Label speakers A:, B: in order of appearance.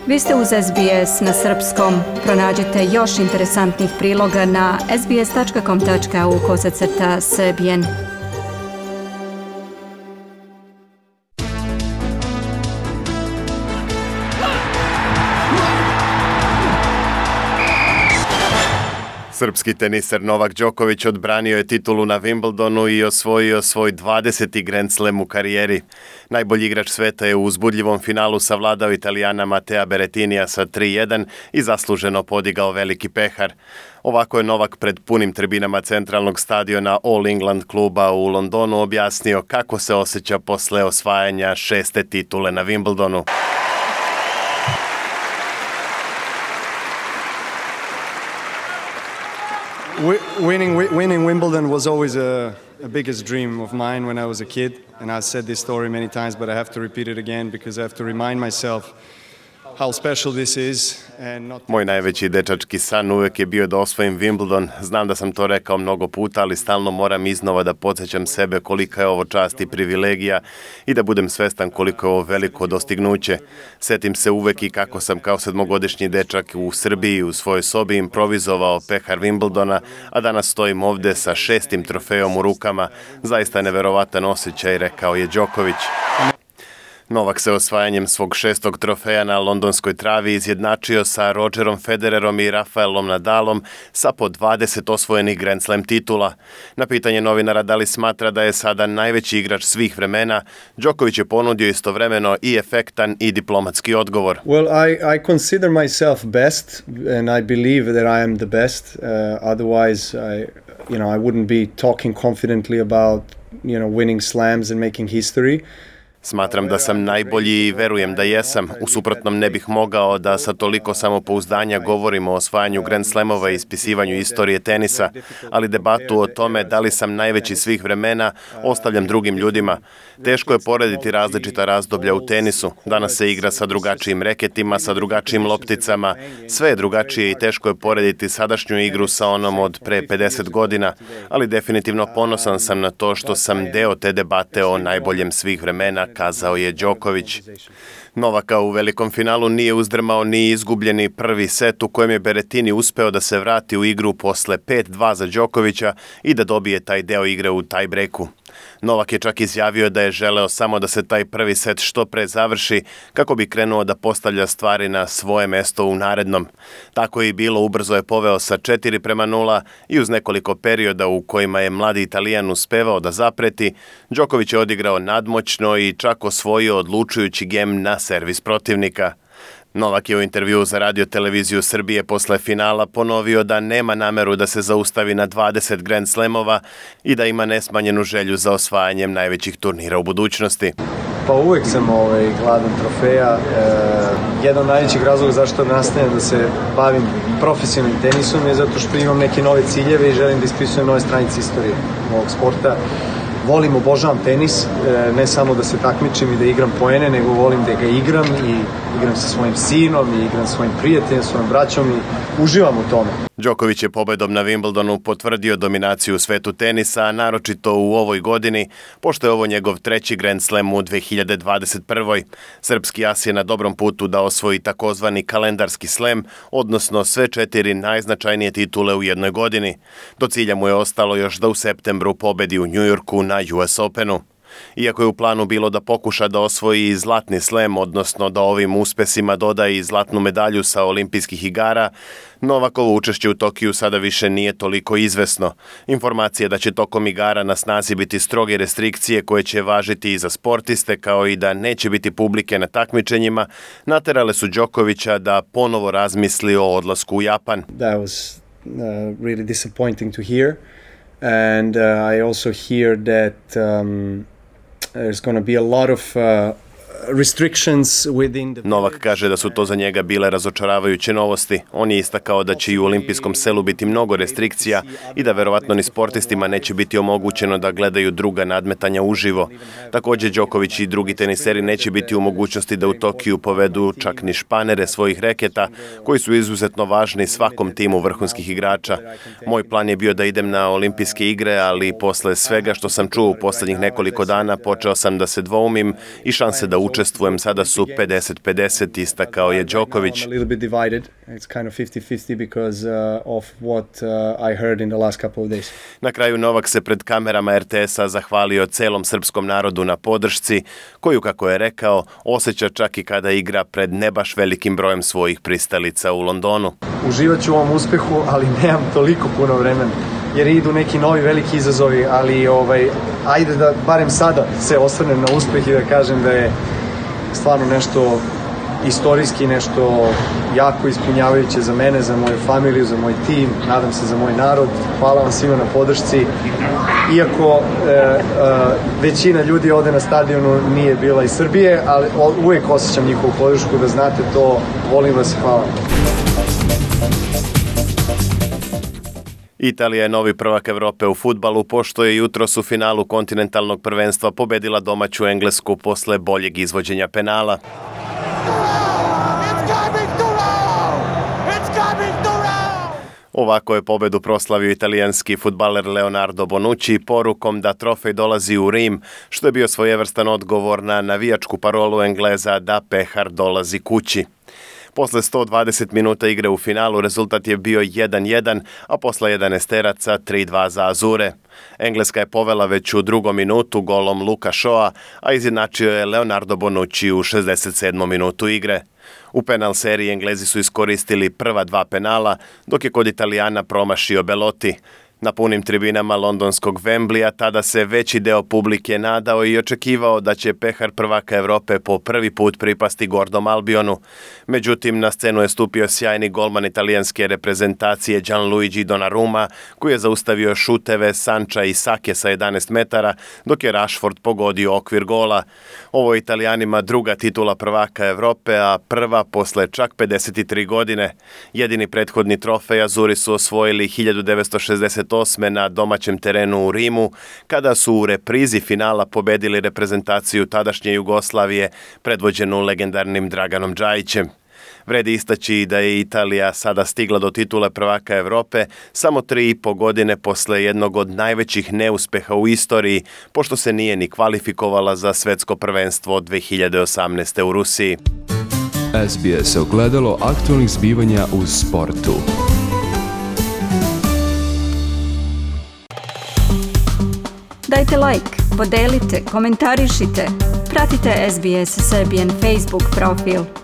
A: Vi ste uz SBS na srpskom. Pronađite još interesantnih priloga na sbs.com.au/srbijen.
B: Srpski teniser Novak Đoković odbranio je titulu na Wimbledonu i osvojio svoj 20. Grand Slam u karijeri. Najbolji igrač sveta je u uzbudljivom finalu savladao Italijana Matea Berrettinija sa 3:1 i zasluženo podigao veliki pehar. Ovako je Novak pred punim tribinama centralnog stadiona All England kluba u Londonu objasnio kako se osjeća posle osvajanja 6. titule na Wimbledonu.
C: Winning Wimbledon was always a biggest dream of mine when I was a kid, and I've said this story many times, but I have to repeat it again because I have to remind myself how special this is.
B: Moj najveći dečački san uvek je bio da osvojim Wimbledon. Znam da sam to rekao mnogo puta, ali stalno moram iznova da podsjećam sebe kolika je ovo čast i privilegija i da budem svestan koliko je ovo veliko dostignuće. Setim se uvek i kako sam kao 7-godišnji dečak u Srbiji u svojoj sobi improvizovao pehar Wimbledona, a danas stojim ovde sa 6. trofejom u rukama. Zaista neverovatan osjećaj, rekao je Đoković. Novak se osvajanjem svog 6. trofeja na londonskoj travi izjednačio sa Rogerom Federerom i Rafaelom Nadalom sa po 20 osvojenih Grand Slam titula. Na pitanje novinara da li smatra da je sada najveći igrač svih vremena, Đoković je ponudio istovremeno i efektan i diplomatski odgovor.
C: Well, I consider myself best and I believe that I am the best. Otherwise, I wouldn't be talking confidently about, winning slams and making history.
B: Smatram da sam najbolji i verujem da jesam. U suprotnom ne bih mogao da sa toliko samopouzdanja govorimo o osvajanju Grand Slamova i ispisivanju istorije tenisa, ali debatu o tome da li sam najveći svih vremena ostavljam drugim ljudima. Teško je porediti različita razdoblja u tenisu. Danas se igra sa drugačijim reketima, sa drugačijim lopticama. Sve je drugačije i teško je porediti sadašnju igru sa onom od pre 50 godina, ali definitivno ponosan sam na to što sam deo te debate o najboljem svih vremena, kazao je Đoković. Novaka u velikom finalu nije uzdrmao ni izgubljeni prvi set u kojem je Berrettini uspeo da se vrati u igru posle 5:2 za Đokovića i da dobije taj deo igre u tie-breaku. Novak je čak izjavio da je želeo samo da se taj prvi set što pre završi kako bi krenuo da postavlja stvari na svoje mesto u narednom. Tako je i bilo, ubrzo je poveo sa 4:0 i uz nekoliko perioda u kojima je mladi Italijan uspevao da zapreti, Đoković je odigrao nadmoćno i čak osvojio odlučujući gem na servis protivnika. Novak je u intervjuu za Radio televiziju Srbije posle finala ponovio da nema nameru da se zaustavi na 20 Grand Slamova i da ima nesmanjenu želju za osvajanjem najvećih turnira u budućnosti.
C: Pa uvek sam gladan trofeja. Jedan od najvećih razloga zašto nastavljam da se bavim profesionalnim tenisom je zato što imam neke nove ciljeve i želim da ispisujem nove stranice istorije ovog sporta. Volim, obožavam tenis, ne samo da se takmičim i da igram poene, nego volim da ga igram i igram sa svojim sinom i igram sa svojim prijateljem, svojim braćom i uživam u tome.
B: Đoković je pobedom na Wimbledonu potvrdio dominaciju u svetu tenisa, naročito u ovoj godini, pošto je ovo njegov 3. Grand Slam u 2021. Srpski as je na dobrom putu da osvoji takozvani kalendarski slam, odnosno sve 4 najznačajnije titule u jednoj godini. Do cilja mu je ostalo još da u septembru pobedi u Njujorku na US Openu. Iako je u planu bilo da pokuša da osvoji i zlatni slam, odnosno da ovim uspesima doda i zlatnu medalju sa olimpijskih igara, Novakovo učešće u Tokiju sada više nije toliko izvesno. Informacije da će tokom igara na snazi biti stroge restrikcije koje će važiti i za sportiste, kao i da neće biti publike na takmičenjima, naterale su Đokovića da ponovo razmisli o odlasku u Japan.
C: That was really disappointing to hear. And I also hear that there's going to be a lot of restrictions within the...
B: Novak kaže da su to za njega bile razočaravajuće novosti. On je istakao da će i u olimpijskom selu biti mnogo restrikcija i da verovatno ni sportistima neće biti omogućeno da gledaju druga nadmetanja uživo. Takođe, Đoković i drugi teniseri neće biti u mogućnosti da u Tokiju povedu čak ni španere svojih reketa, koji su izuzetno važni svakom timu vrhunskih igrača. Moj plan je bio da idem na olimpijske igre, ali posle svega što sam čuo u poslednjih nekoliko dana počeo sam da se dvoumim i šanse da učestvujem učestvujem, sada su 50-50, istakao je Đoković.
C: I'm a little bit divided. It's kind of 50-50 because of what I heard in the last couple of days.
B: Na kraju Novak se pred kamerama RTS-a zahvalio celom srpskom narodu na podršci, koju, kako je rekao, osjeća čak i kada igra pred ne baš velikim brojem svojih pristalica u Londonu.
C: Uživat ću u ovom uspehu, ali nemam toliko puno vremena, jer idu neki novi veliki izazovi, ali ajde da barem sada se osvrnem na uspeh i da kažem da je stvarno nešto istorijski, nešto jako ispunjavajuće za mene, za moju familiju, za moj tim, nadam se za moj narod. Hvala vam svima na podršci. Iako većina ljudi ovde na stadionu nije bila iz Srbije, ali uvijek osjećam njihovu podršku, da znate to, volim vas i hvala.
B: Italija je novi prvak Evrope u fudbalu, pošto je jutros u finalu kontinentalnog prvenstva pobedila domaću Englesku posle boljeg izvođenja penala. Ovako je pobedu proslavio italijanski fudbaler Leonardo Bonucci porukom da trofej dolazi u Rim, što je bio svojevrstan odgovor na navijačku parolu Engleza da pehar dolazi kući. Posle 120 minuta igre u finalu rezultat je bio 1-1, a posle 11 3-2 za Azure. Engleska je povela već u drugom minutu golom Luka Shaw'a, a izjednačio je Leonardo Bonucci u 67. minutu igre. U penal seriji Englezi su iskoristili prva dva penala, dok je kod Italijana promašio Belotti. Na punim tribinama londonskog Wembleya tada se veći deo publike nadao i očekivao da će pehar prvaka Evrope po prvi put pripasti Gordom Albionu. Međutim, na scenu je stupio sjajni golman italijanske reprezentacije Gianluigi Donnarumma, koji je zaustavio šuteve Sancha i Sake sa 11 metara, dok je Rashford pogodio okvir gola. Ovo je Italijanima druga titula prvaka Evrope, a prva posle čak 53 godine. Jedini prethodni trofej Azuri su osvojili 1968. na domaćem terenu u Rimu, kada su u reprizi finala pobedili reprezentaciju tadašnje Jugoslavije, predvođenu legendarnim Draganom Džajićem. Vredi istaći da je Italija sada stigla do titule prvaka Evrope samo 3,5 godine posle jednog od najvećih neuspeha u istoriji, pošto se nije ni kvalifikovala za svetsko prvenstvo 2018. u Rusiji.
D: SBS ogledalo aktualnih zbivanja u sportu.
A: Dajte like, podelite, komentarišite. Pratite SBS Serbian Facebook profil.